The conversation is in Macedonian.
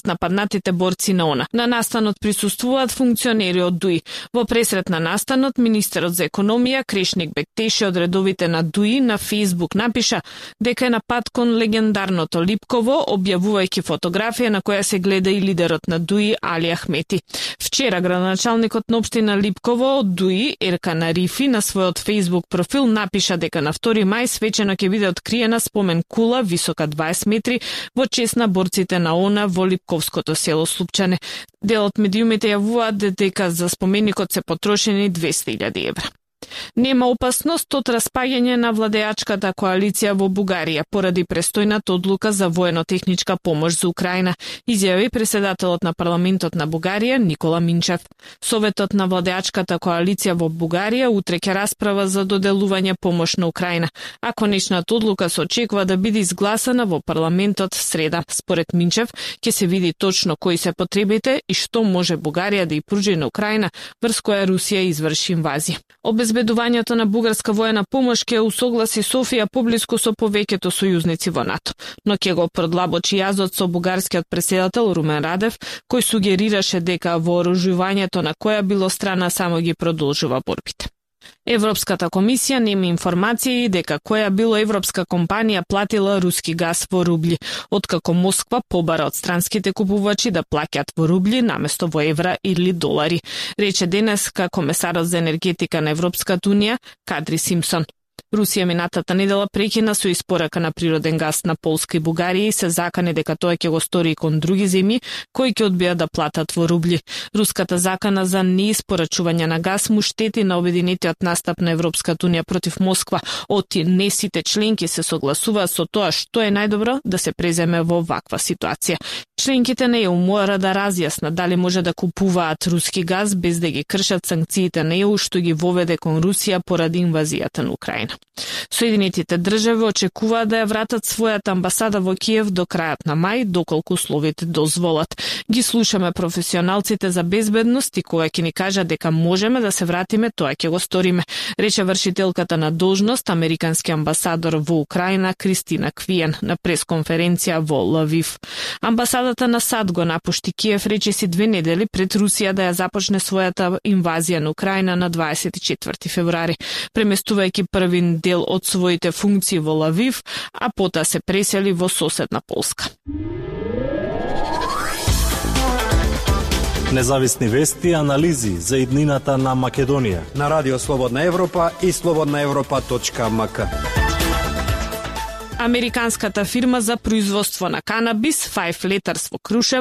нападнатите борци на ОНА. На настанот присуствуваат функционери од ДУИ. Во пресрет на настанот, министерот за економија Крешник Бектеши од редовите на ДУИ на Facebook напиша дека е на пат кон легендарното Липково, објавувајќи фотографија на која се гледа и лидерот на ДУИ Али Ахмети. Вчера градоначалникот на општина Липково од ДУИ Еркан Арифи на својот Facebook профил напиша дека на 2 мај свечено ќе биде откриена спомен кула висока 20 метри во чест на борците на ОНА во Липковското село Слупчане. Дел од медиумите јавуваат дека за споменикот се потрошени 200.000 евра. Нема опасност од распаѓање на владеачката коалиција во Бугарија поради престојната одлука за воено-техничка помош за Украина, изјави преседателот на парламентот на Бугарија Никола Минчев. Советот на владеачката коалиција во Бугарија утре ќе расправа за доделување помош на Украина, а конечната одлука се очекува да биде изгласана во парламентот среда. Според Минчев, ќе се види точно кои се потребите и што може Бугарија да ја пружи на Украина врз која Русија изврши инвазија. Обезбедувањето на бугарска воена помош ќе усогласи Софија поблиску со повеќето сојузници во НАТО, но ќе го продлабочи јазот со бугарскиот преседател Румен Радев, кој сугерираше дека вооружувањето на која било страна само ги продолжува борбите. Европската комисија нема информации дека која било европска компанија платила руски газ во рубли, откако Москва побара од странските купувачи да плаќаат во рубли наместо во евра или долари, рече денеска комесарот за енергетика на Европската унија Кадри Симпсон. Русија минатата недела прекина со испорака на природен газ на Полска и Бугарија и се закани дека тоа ќе го стори и кон други земји кои ќе одбијат да платат во рубли. Руската закана за неиспорачување на газ му штети на обединетиот настап на Европската унија против Москва. Од не сите членки се согласуваат со тоа што е најдобро да се преземе во ваква ситуација. Членките на ЕУ мора да разјаснат дали може да купуваат руски газ без да ги кршат санкциите на ЕУ што ги воведе кон Русија поради инвазијата на Украина. Соединетите држави очекуваат да ја вратат својата амбасада во Киев до крајот на мај, доколку условите дозволат. Ги слушаме професионалците за безбедност и кога ќе ни кажат дека можеме да се вратиме, тоа ќе го сториме, рече вршителката на должност американски амбасадор во Украина Кристина Квиен на пресконференција во Лавив. Амбасадата на САД го напушти Киев речиси 2 недели пред Русија да ја започне својата инвазија на Украина на 24 февруари, преместувајќи први дел од своите функции во Лавив, а потоа се пресели во соседна Полска. Независни вести и анализи за иднината на Македонија на Радио Слободна Европа и slobodnaevropa.mk. Американската фирма за производство на канабис Five Letters во Крушево